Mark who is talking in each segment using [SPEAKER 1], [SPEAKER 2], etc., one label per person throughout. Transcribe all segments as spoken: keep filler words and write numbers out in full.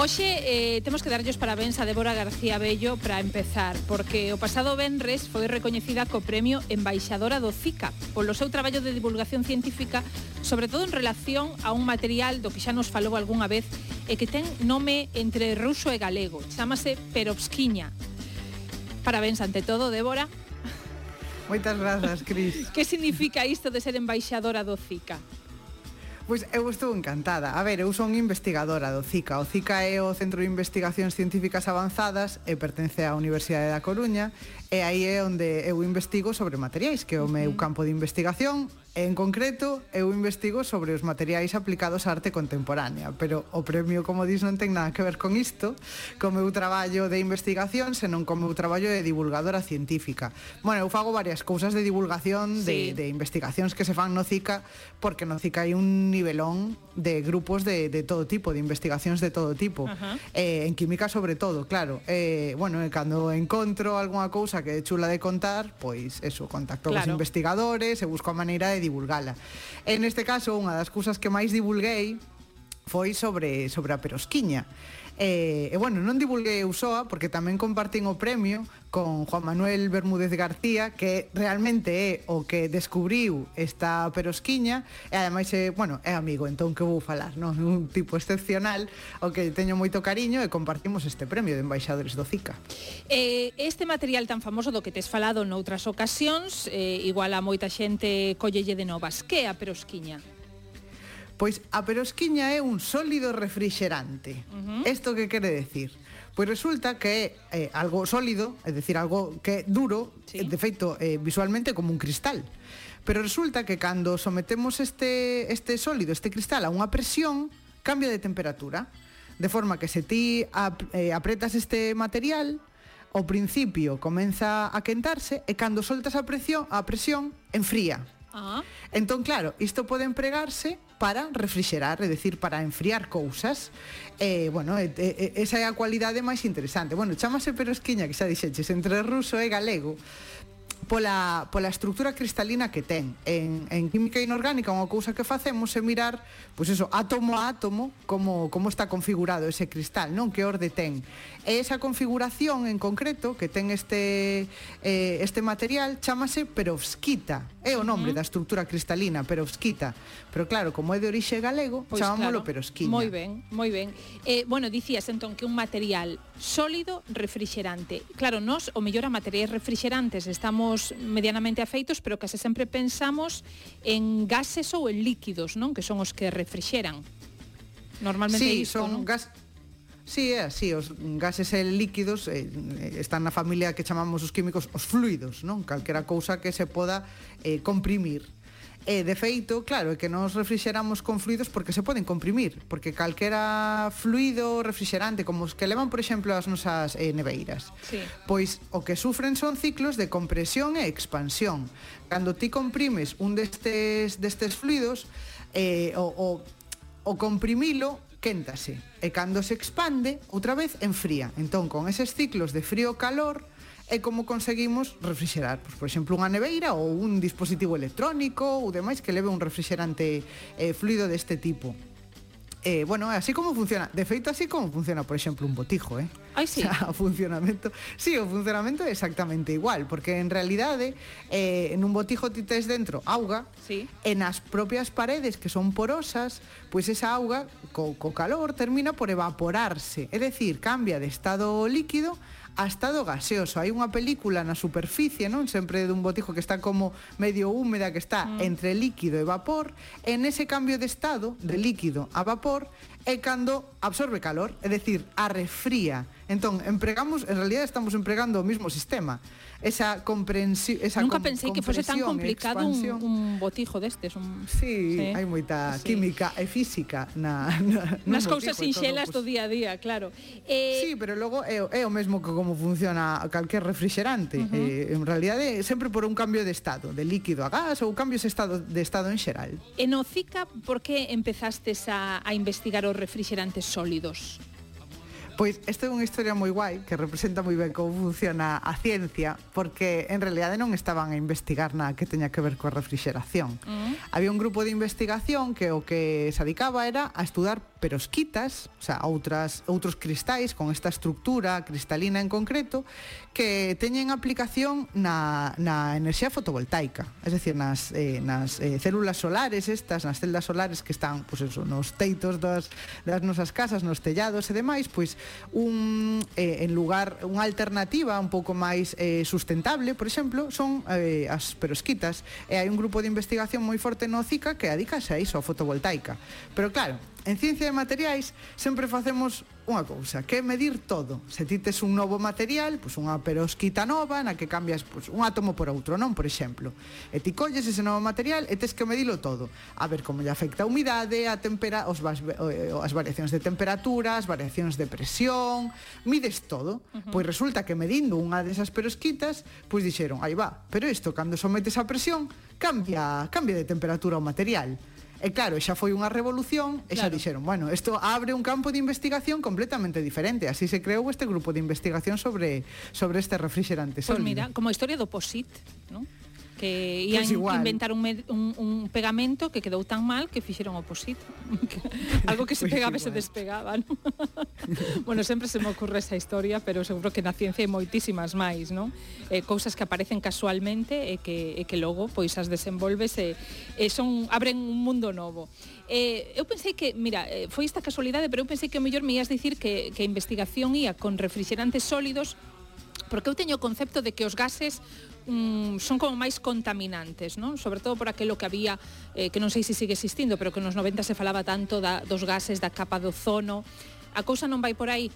[SPEAKER 1] Hoxe eh, temos que darlles parabéns a Débora García Bello para empezar, porque o pasado venres foi recoñecida co premio Embaixadora do CICA polo seu traballo de divulgación científica, sobre todo en relación a un material do que xa nos falou algunha vez e que ten nome entre ruso e galego, chámase perovskiña. Parabéns ante todo, Débora.
[SPEAKER 2] Moitas grazas, Cris.
[SPEAKER 1] Que significa isto de ser embaixadora do CICA?
[SPEAKER 2] Pois eu estou encantada. A ver, eu son investigadora do CICA. O CICA é o Centro de Investigacións Científicas Avanzadas e pertence á Universidade da Coruña, e aí é onde eu investigo sobre materiais, que é o meu campo de investigación. En concreto, eu investigo sobre os materiais aplicados á arte contemporánea, pero o premio, como dis, non ten nada que ver con isto, co meu traballo de investigación, senón co meu traballo de divulgadora científica. Bueno, eu fago varias cousas de divulgación, sí. de, de investigacións que se fan no CICA, porque no CICA hai un nivelón de grupos de, de todo tipo, de investigacións de todo tipo. Uh-huh. Eh, en química, sobre todo, claro. Eh, bueno, cando encontro algunha cousa que é chula de contar, pois, eso, contacto claro. cos investigadores e busco a maneira de divulgala. En este caso, unha das cousas que máis divulguei foi sobre, sobre a perovskiña. E, e bueno, non divulguei eu soa, porque tamén compartín o premio con Juan Manuel Bermúdez García, que realmente é o que descubriu esta perovskiña, e ademais é, bueno, é amigo, entón que vou falar, non? Un tipo excepcional, o que teño moito cariño, e compartimos este premio de embaixadores do CICA.
[SPEAKER 1] Eh, este material tan famoso do que tes falado noutras ocasións, eh, igual a moita xente collelle de novas. Que é a perovskiña?
[SPEAKER 2] Pois a perovskiña é un sólido refrixerante. Isto uh-huh. que quere decir? Pois resulta que é eh, algo sólido, é dicir, algo que é duro, sí. de feito, eh, visualmente como un cristal. Pero resulta que cando sometemos este, este sólido, este cristal, a unha presión, cambia de temperatura. De forma que se ti ap, eh, apretas este material, ao principio comeza a quentarse e cando soltas a presión, a presión enfría. Ah. Entón, claro, isto pode empregarse para refrixerar, é dicir, para enfriar cousas. E, bueno, e, e, esa é a cualidade máis interesante. Bueno, chámase perovskiña, que xa dixeches, entre ruso e galego, pola, pola estructura cristalina que ten. En, en química inorgánica, unha cousa que facemos é mirar, pois eso, átomo a átomo, como, como está configurado ese cristal, non? Que orde ten. E esa configuración en concreto que ten este, eh, este material chámase perovskita. É o nome uh-huh. da estructura cristalina, perovskita. Pero claro, como é de orixe galego, pois chamámoslo claro. perovskiña.
[SPEAKER 1] Moi ben, moi ben. Eh, bueno, dicías entón que un material sólido refrixerante. Claro, nós, o mellor a materiais refrixerantes estamos medianamente afeitos, pero case sempre pensamos en gases ou en líquidos, non? Que son os que refrixeran. Normalmente
[SPEAKER 2] sí,
[SPEAKER 1] isto,
[SPEAKER 2] son
[SPEAKER 1] non?
[SPEAKER 2] gas... Sí, é así, os gases e líquidos eh, están na familia que chamamos os químicos os fluidos, non? Calquera cousa que se poda eh, comprimir. E, de feito, claro, é que nos refrixeramos con fluidos porque se poden comprimir, porque calquera fluido refrixerante, como os que levan, por exemplo, as nosas eh, neveiras, sí. pois o que sufren son ciclos de compresión e expansión. Cando ti comprimes un destes, destes fluidos, eh, o, o, o comprimilo quéntase, e cando se expande, outra vez enfría. Entón, con eses ciclos de frío-calor, é como conseguimos refrixerar, pois, por exemplo, unha neveira ou un dispositivo electrónico ou demais que leve un refrixerante eh, fluido deste tipo. Eh, bueno, así como funciona, de feito así como funciona, por exemplo, un botijo, eh?
[SPEAKER 1] Ai, sí.
[SPEAKER 2] O sea, o funcionamento, sí, o funcionamento é exactamente igual, porque en realidade eh, en un botijo ti tes dentro auga, sí. e nas propias paredes que son porosas, pois esa auga co, co calor termina por evaporarse, é dicir, cambia de estado líquido a estado gaseoso. Hai unha película na superficie, non? Sempre dun botijo que está como medio húmeda, que está mm. entre líquido e vapor. En ese cambio de estado, de líquido a vapor, é cando absorbe calor, é dicir, arrefría. Entón, empregamos, en realidad estamos empregando o mismo sistema. Esa comprensión, esa
[SPEAKER 1] Nunca pensei que fose tan complicado un, un botijo destes, un
[SPEAKER 2] Sí, sí. hai moita sí. química e física na, na
[SPEAKER 1] nas cousas sinxelas do día a día, claro.
[SPEAKER 2] Eh... Sí, pero logo é, é o mesmo que como funciona calquer refrixerante. Uh-huh. Eh, en realidade é sempre por un cambio de estado, de líquido a gas ou cambios de estado, de estado en xeral.
[SPEAKER 1] E no CICA, por que empezastes a, a investigar os refrixerantes sólidos?
[SPEAKER 2] Pois esta é unha historia moi guai que representa moi ben como funciona a ciencia, porque en realidade non estaban a investigar nada que teña que ver coa refrixeración. Uh-huh. Había un grupo de investigación que o que se dedicaba era a estudar perosquitas, o sea, outras, outros cristais con esta estructura cristalina en concreto, que teñen aplicación na, na enerxía fotovoltaica, es decir, nas, eh, nas eh, células solares estas, nas celdas solares que están, pues eso, nos teitos das, das nosas casas, nos tellados e demais, pois un, eh, en lugar, unha alternativa un pouco máis eh, sustentable, por exemplo, son eh, as perosquitas, e hai un grupo de investigación moi forte no CICA que adicase a iso, a fotovoltaica. Pero claro, en ciencia de materiais sempre facemos unha cousa, que é medir todo. Se ti tes un novo material, pois unha perosquita nova na que cambias pois, un átomo por outro, non? Por exemplo. E ti colles ese novo material e tes que medilo todo. A ver como lle afecta a humidade, a tempera, os, as variacións de temperatura, as variacións de presión, mides todo. Uh-huh. Pois resulta que medindo unha desas perosquitas, pois dixeron, aí va, pero isto cando sometes a presión, cambia, cambia de temperatura o material. E claro, xa foi unha revolución e xa claro. Dixeron, bueno, isto abre un campo de investigación completamente diferente. Así se creou este grupo de investigación sobre, sobre este refrigerante sólido.
[SPEAKER 1] Pois mira, como a historia do POSIT, non? Que ian pues inventar un, un, un pegamento que quedou tan mal que fixeron o POSIT. Algo que se pues pegaba e se despegaba, ¿no? Bueno, sempre se me ocurre esa historia, pero seguro que na ciencia hai moitísimas máis, non? Eh, cousas que aparecen casualmente e que, e que logo pois as desenvolves e, e son, abren un mundo novo. Eh, eu pensei que, mira, foi esta casualidade, pero eu pensei que o mellor me ias dicir que, que a investigación ia con refrigerantes sólidos, porque eu teño o concepto de que os gases Mm, son como máis contaminantes, non? Sobre todo por aquilo que había, eh, que non sei se sigue existindo, pero que nos noventa se falaba tanto da, dos gases da capa de ozono. A cousa non vai por aí?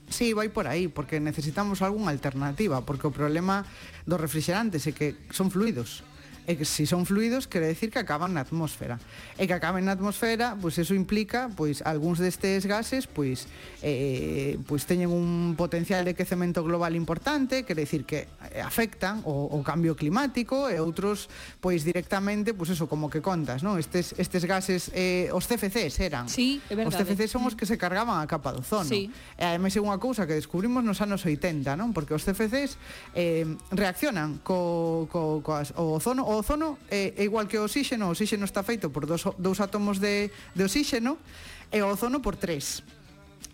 [SPEAKER 2] Sí, vai por aí, porque necesitamos algunha alternativa, porque o problema dos refrigerantes é que son fluidos. E que se son fluidos quere decir que acaban na atmosfera. E que acaben na atmosfera, pois eso implica, pois algúns destes gases, pois eh, pois teñen un potencial de quecemento global importante, quere decir que afectan o, o cambio climático, e outros pois directamente, pois eso, como que contas, non? Estes estes gases eh, os C F Cs eran.
[SPEAKER 1] Sí, é verdade.
[SPEAKER 2] Os C F Cs son os que se cargaban a capa do ozono.
[SPEAKER 1] Sí.
[SPEAKER 2] E ademais é unha cousa que descubrimos nos anos oitenta, non? Porque os C F Cs eh, reaccionan co, co, co as, o ozono, o ozono é, é igual que o oxíxeno. O oxíxeno está feito por dos, dous átomos de, de oxíxeno e o ozono por tres.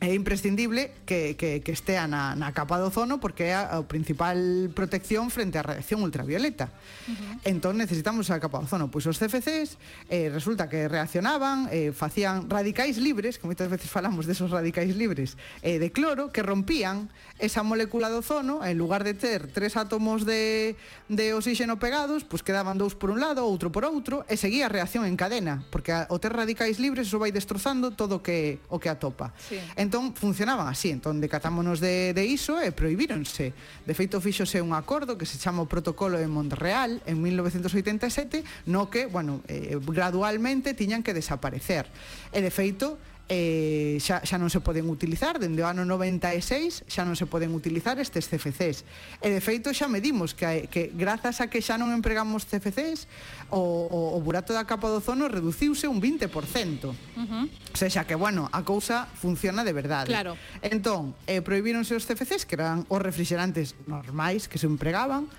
[SPEAKER 2] É imprescindible que, que, que estea na, na capa do ozono porque é a, a principal protección frente á radiación ultravioleta. Uh-huh. Entón necesitamos a capa do ozono. Pois os C F Cs eh, resulta que reaccionaban, eh, facían radicais libres, que moitas veces falamos desos radicais libres, eh, de cloro, que rompían esa molécula do ozono. En lugar de ter tres átomos de, de oxígeno pegados, pois quedaban dous por un lado, outro por outro, e seguía a reacción en cadena, porque a, o ter radicais libres eso vai destrozando todo o que, o que atopa. Sí. Entón funcionaban así, entón decatámonos de, de iso e prohibíronse. De feito fíxose un acordo que se chama o Protocolo de Montreal en mil novecentos oitenta e sete, no que, bueno, eh, gradualmente tiñan que desaparecer. E de feito Eh, xa, xa non se poden utilizar dende o ano noventa e seis, xa non se poden utilizar estes C F Cs, e de feito xa medimos que, que grazas a que xa non empregamos C F Cs o, o, o burato da capa do ozono reduciuse un vinte por cento. Uh-huh. O sea, xa que, bueno, a cousa funciona de verdade.
[SPEAKER 1] Claro.
[SPEAKER 2] Entón, eh, prohibíronse os C F Cs, que eran os refrigerantes normais que se empregaban,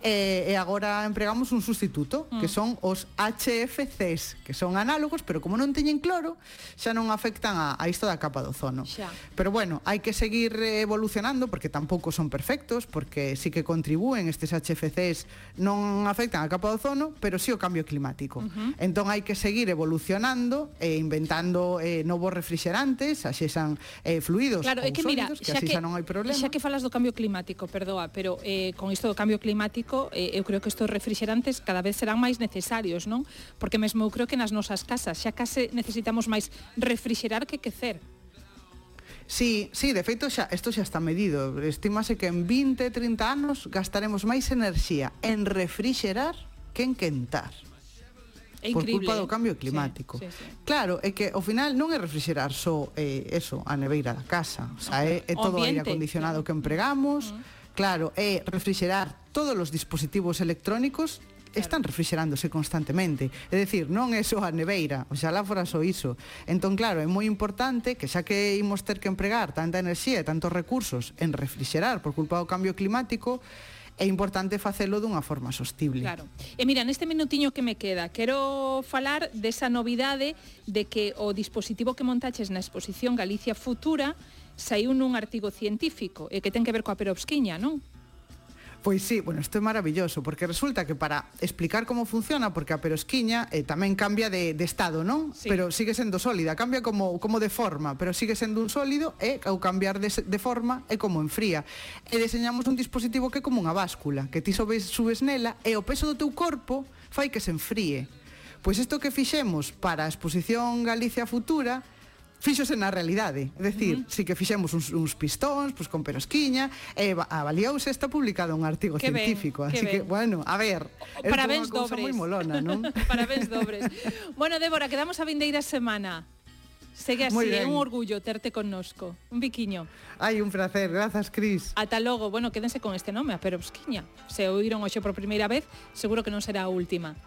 [SPEAKER 2] e, e agora empregamos un sustituto, mm. que son os H F Cs, que son análogos, pero como non teñen cloro, xa non afectan a, a isto da capa do ozono. Xa. Pero bueno, hai que seguir evolucionando, porque tampouco son perfectos, porque sí que contribúen estes H F Cs, non afectan a capa do ozono, pero sí o cambio climático. Uh-huh. Entón hai que seguir evolucionando e inventando eh, novos refrigerantes, xa xan eh, fluidos
[SPEAKER 1] claro,
[SPEAKER 2] ou
[SPEAKER 1] que
[SPEAKER 2] sólidos,
[SPEAKER 1] mira,
[SPEAKER 2] que así xa non hai problema.
[SPEAKER 1] Xa que falas do cambio climático, perdoa, pero eh, con isto do cambio climático, eh, eu creo que estes refrigerantes cada vez serán máis necesarios, non? Porque mesmo eu creo que nas nosas casas xa case necesitamos máis refrigerar que quecer.
[SPEAKER 2] Sí, sí, de feito xa, isto xa está medido. Estímase que en vinte, trinta anos gastaremos máis enerxía en refrigerar que en quentar.
[SPEAKER 1] É
[SPEAKER 2] por
[SPEAKER 1] increíble,
[SPEAKER 2] culpa do cambio climático.
[SPEAKER 1] Sí, sí, sí.
[SPEAKER 2] Claro, é que ao final non é refrigerar só eh, eso, a neveira da casa, o sea, é, é todo o aire acondicionado claro. que empregamos. Uh-huh. Claro, é refrigerar todos os dispositivos electrónicos están refrigerándose constantemente. É dicir, non é só a neveira, oxalá fora só iso. Entón, claro, é moi importante que xa que imos ter que empregar tanta enerxía e tantos recursos en refrigerar por culpa do cambio climático, é importante facelo dunha forma sostible.
[SPEAKER 1] Claro. E mira, neste minutiño que me queda, quero falar desa novidade de que o dispositivo que montaches na exposición Galicia Futura saiu nun artigo científico e que ten que ver coa perovskiña, non?
[SPEAKER 2] Pois sí, bueno, isto é maravilloso, porque resulta que para explicar como funciona, porque a perovskiña eh, tamén cambia de, de estado, non?
[SPEAKER 1] Sí.
[SPEAKER 2] Pero sigue sendo sólida, cambia como, como de forma, pero sigue sendo un sólido e ao cambiar de, de forma é como enfría. E deseñamos un dispositivo que é como unha báscula, que ti subes, subes nela e o peso do teu corpo fai que se enfríe. Pois isto que fixemos para a exposición Galicia Futura fíxose na realidade, é dicir, uh -huh. si que fixemos uns, uns pistóns, pois con perovskiña, e avaliouse, está publicado un artigo
[SPEAKER 1] que
[SPEAKER 2] científico,
[SPEAKER 1] ben,
[SPEAKER 2] así que, que, bueno, a ver, é unha cousa moi molona, non?
[SPEAKER 1] Parabéns dobres. Bueno, Débora, quedamos a vindeira semana. Segue así, é un orgullo terte connosco. Un biquiño.
[SPEAKER 2] Ai, un placer, grazas, Cris.
[SPEAKER 1] Ata logo, bueno, quédense con este nome, a perovskiña. Se oíron hoxe por primeira vez, seguro que non será a última.